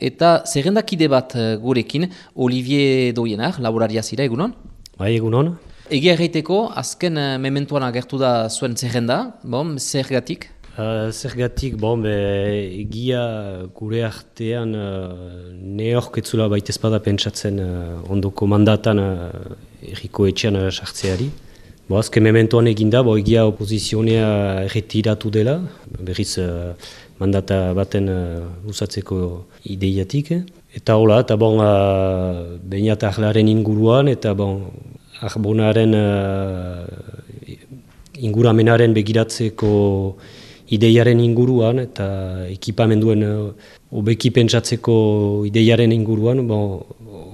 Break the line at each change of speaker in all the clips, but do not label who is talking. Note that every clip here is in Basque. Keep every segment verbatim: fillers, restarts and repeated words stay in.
Eta zerrendakide bat uh, gurekin, Olivier Doienar, laboraria zira, egunon?
Bai, egunon.
Egia erraiteko, azken uh, mementuan agertu da zuen zerrenda, bon, zergatik?
Uh, zergatik, bon, be, egia gure artean uh, neork etzula baita ezpada pentsatzen uh, ondoko mandatan uh, erriko etxean uh, sartzeari. Bo, azken mementuan eginda, bo, egia opozizionea erretiratu dela, berriz uh, mandata baten uh, usatzeko ideiatik. Eta hola, eta bon, uh, behinat ahlaren inguruan, eta bon, arbonaren uh, inguramenaren begiratzeko ideiaren inguruan, eta ekipamenduen uh, obeki pentsatzeko ideiaren inguruan, bon,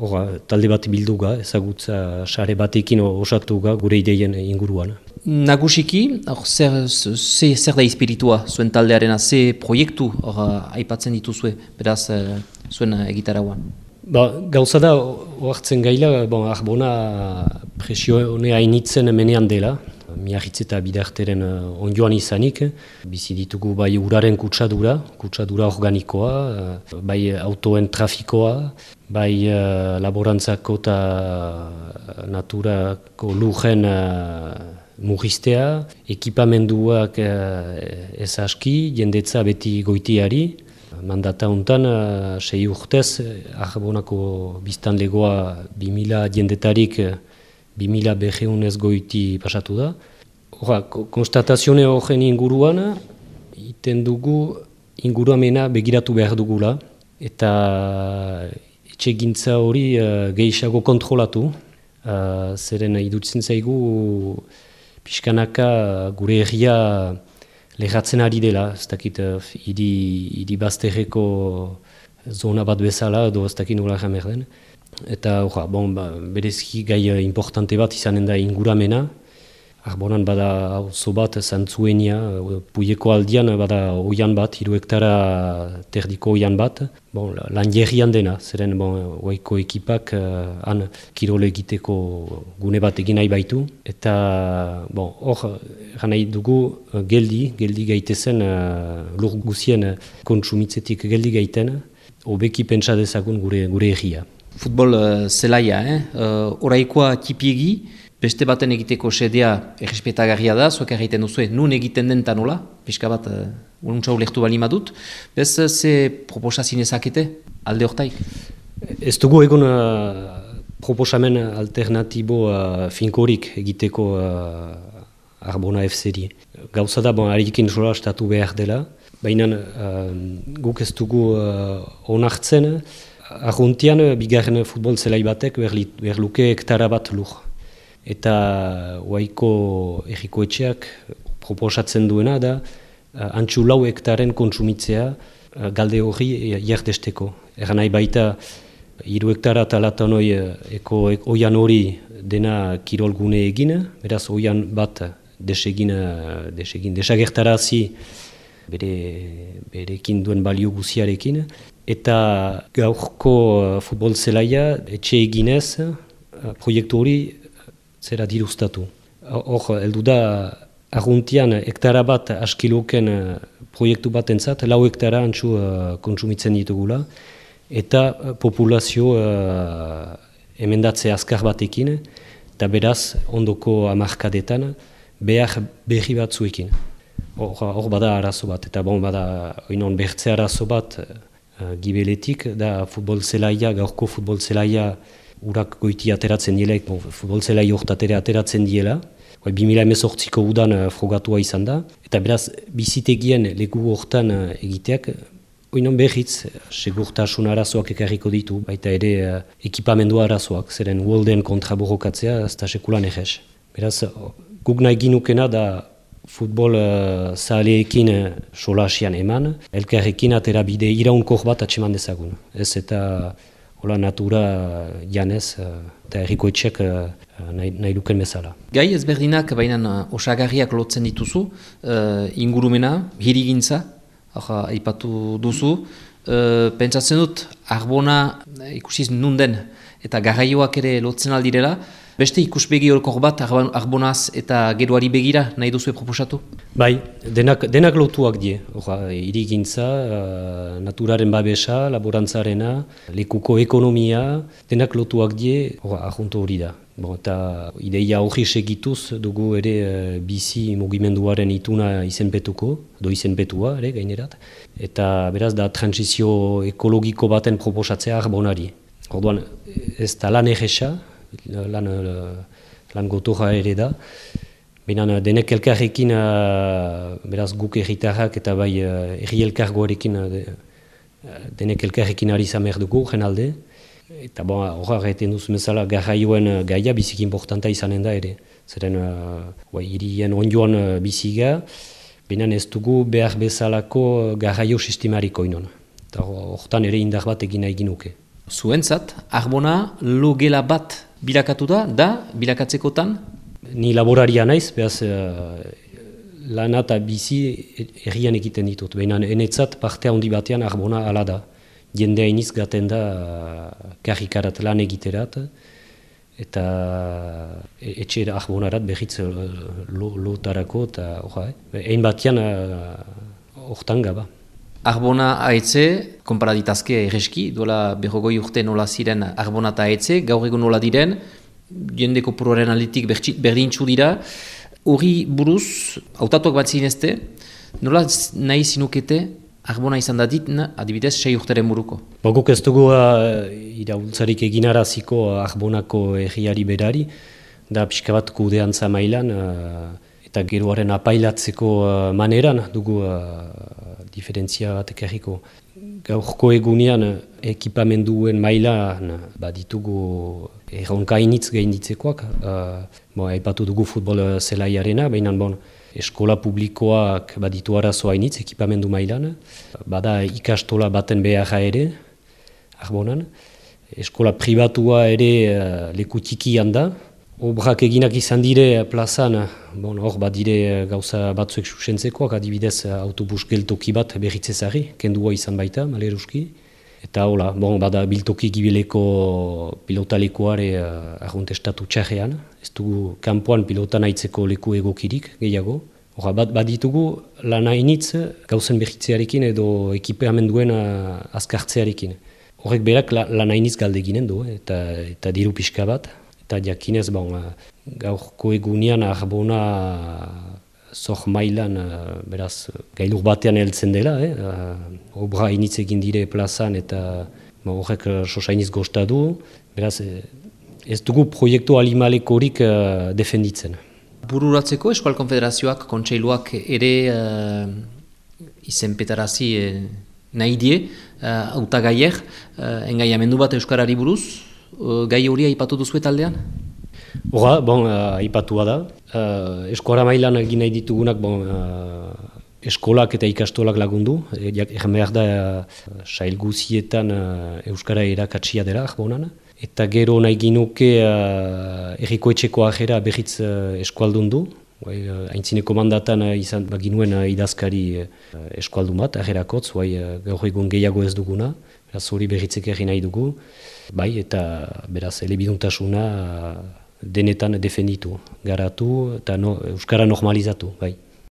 ora, talde bat bilduga, ezagutza sare batekin osatuga gure ideien inguruan.
Nagusiki, or, zer, zer, zer da espiritua zuen taldearena, ze proiektu or, aipatzen dituzue, beraz uh, zuen egitarauan?
Ba, gauza da, oartzen gaila, bon, arbona presionea hainitzen menean dela, miarritz eta bidarteren uh, ondjoan izanik, bizi ditugu bai uraren kutsadura, kutsadura organikoa, uh, bai autoen trafikoa, bai uh, laborantzako eta naturako lujen uh, murriztea, ekipamenduak uh, ez aski, jendetza beti goitiari. Mandata hontan, uh, sei urtez, arbonako biztanlegoa bi mila jendetarik bi mila berreunez goiti pasatu da. Hora, konstatazione horren inguruan, iten dugu inguruamena begiratu behar dugula, eta etxegintza hori uh, gehiago kontrolatu, uh, zeren idutzen zaigu pixkanaka gure herria lehatzen ari dela, ez dakit hiri uh, bazterreko zona bat bezala, edo ez dakit nola jamer den. Eta orra, bon, ba, berezki gai importante bat izanen da inguramena. Arbonan bada auzo bat Zantzuenia, Puieko aldian bada oian bat, hiru hektara terdiko oian bat. Bon, lan jerrian dena, zeren bon, oaiko ekipak uh, han kirole egiteko gune bat egin nahi baitu. Eta bon, hor, gana dugu uh, geldi, geldi gaitezen, uh, lur guzien kontsumitzetik geldi gaiten, hobeki pentsa dezagun gure, gure herria.
Futbol uh, zelaia, eh? uh, oraikoa tipiegi, beste baten egiteko sedea errespetagarria da, zuek egiten duzu, nun egiten den nola, pixka bat, uh, ununtza ulektu bali madut, bez ze proposazin ezakete, alde hortaik?
Ez dugu egon uh, proposamen alternatibo uh, finkorik egiteko uh, Arbona F C-ri. Gauza da, bon, harikin sola estatu behar dela, baina uh, guk ez dugu uh, onartzen, Arruntian, bigarren futbol zelai batek behar luke hektara bat lur. Eta oaiko erriko etxeak proposatzen duena da antxu lau hektaren kontsumitzea galde hori jardesteko. Egan nahi baita hiru hektara talatan hori eko oian hori dena kirolgune egin, beraz oian bat desegin, desegin, desagertarazi bere, berekin duen balio guziarekin. Eta gaurko uh, futbol zelaia etxe eginez uh, proiektu hori zera dirustatu. Hor, heldu da Arruntian hektara bat askiloken uh, proiektu bat entzat, lau hektara antxu uh, kontsumitzen ditugula, eta uh, populazio uh, emendatze azkar batekin, eta beraz ondoko hamarkadetan behar berri batzuekin. Hor, hor bada arazo bat, eta bon bada oinon bertze arazo bat, gibeletik, da futbol zelaia, gaurko futbol zelaia urak goiti ateratzen dielaik, bon, futbol zelai hortatere ateratzen diela, bi mila hemezortziko udan uh, frogatua izan da, eta beraz, bizitegien leku hortan uh, egiteak, oinon berriz, segurtasun arazoak ekarriko ditu, baita ere uh, ekipamendu arazoak, zeren uolden kontra borrokatzea, ez da sekulan egez. Beraz, guk nahi ginukena da futbol uh, zahaleekin uh, solasian eman, elkarrekin atera bide iraunkor bat atseman dezagun. Ez eta hola natura janez uh, eta erriko etxek uh, nahi, nahi luken bezala.
Gai ezberdinak baina uh, osagarriak lotzen dituzu, uh, ingurumena, hirigintza, uh, aipatu duzu, uh, pentsatzen dut Arbona uh, ikusiz nunden eta garraioak ere lotzen aldirela, Beste ikuspegi horkor bat Arbonaz eta geroari begira nahi duzu proposatu?
Bai, denak, denak lotuak die. Hirigintza, uh, naturaren babesa, laborantzarena, lekuko ekonomia, denak lotuak die, ahunto hori da. Bon, eta ideia hori segituz dugu ere uh, bizi mugimenduaren ituna izenpetuko, do izenpetua ere gainerat. Eta beraz da transizio ekologiko baten proposatzea Arbonari. Orduan ez da lan egesa, lan, lan gotorra ere da. Baina denek elkarrekin, uh, beraz guk erritarrak eta bai uh, erri elkargoarekin uh, de, uh, denek elkarrekin ari zamer dugu jenalde. Eta bon, horra egiten duz bezala garraioen gaia biziki importanta izanen da ere. Zeren uh, hirien ondioan uh, biziga, baina ez dugu behar bezalako garraio sistemariko inon. Eta horretan ere indar bat egin nahi ginuke.
Zuentzat, Arbona logela bat bilakatu da, da bilakatzekotan?
Ni laboraria naiz, behaz uh, lana eta bizi herrian egiten ditut. Baina enetzat parte handi batean Arbona ala da. Jendea iniz gaten da uh, karrikarat lan egiterat, eta e, etxe Arbonarat behitz lotarako, lo eta horra, eh? Ein batean hortan uh, gaba.
Arbona ahetze, konparaditazke erreski, duela berrogoi urte nola ziren Arbona eta ahetze, gaur egun nola diren, jende kopuruaren aldetik berdintxu dira, hori buruz, hautatuak bat zinezte, nola nahi zinukete Arbona izan da ditna, adibidez, sei urteren buruko.
Boguk ez dugu uh, iraultzarik eginaraziko Arbonako erriari berari, da pixka bat kudeantza mailan, uh, eta geroaren apailatzeko uh, maneran dugu uh, diferentzia bat ekarriko. Gaurko egunean ekipamenduen mailan baditugu erronkainitz gainditzekoak. Uh, bon, aipatu dugu futbol zelaiarena, baina bon, eskola publikoak baditu arazoa hainitz ekipamendu mailan. Bada ikastola baten beharra ere, Arbonan. Eskola pribatua ere uh, leku tikian da. Obrak eginak izan dire plazan, bon, hor bat dire gauza batzuek susentzekoak, adibidez autobus geltoki bat berritzezari, kendua izan baita, maleruski. Eta hola, bon, bada biltoki gibileko pilotalekoare uh, arruntestatu txarrean, ez dugu kanpoan pilotan aitzeko leku egokirik gehiago. Hora, bat, bat ditugu lan hainitz gauzen berritzearekin edo ekipamenduen uh, azkartzearekin. Horrek berak la, lan hainitz galde ginen du, eta, eta diru pixka bat. Eta jakinez, bon, gaurko egunean Arbona zor mailan, beraz, gailur batean heltzen dela, eh? Obra hainitz egin dire plazan eta horrek sosainiz gozta du. Beraz, ez dugu proiektu alimalekorik uh, defenditzen.
Bururatzeko Eskual Konfederazioak, kontseiluak ere uh, izenpetarazi uh, nahi die, hautagaier, uh, engaiamendu bat Euskarari buruz, uh, gai hori aipatu duzu taldean?
Hora, bon, uh, aipatua da. Uh, Eskora mailan egin nahi ditugunak, bon, uh, eskolak eta ikastolak lagundu. Egan behar da, uh, sail guzietan uh, Euskara erakatsia dela, Arbonan. Eta gero nahi ginuke uh, erriko etxeko ajera berriz uh, eskualdundu. Uh, Aintzineko mandatan uh, izan baginuen uh, idazkari uh, eskualdun bat, ajerakotz, uh, gaur egun gehiago ez duguna. Beraz hori berritzek egin nahi dugu. Bai, eta beraz elebiduntasuna uh, denetan defenditu, garatu eta no, Euskara normalizatu. Bai.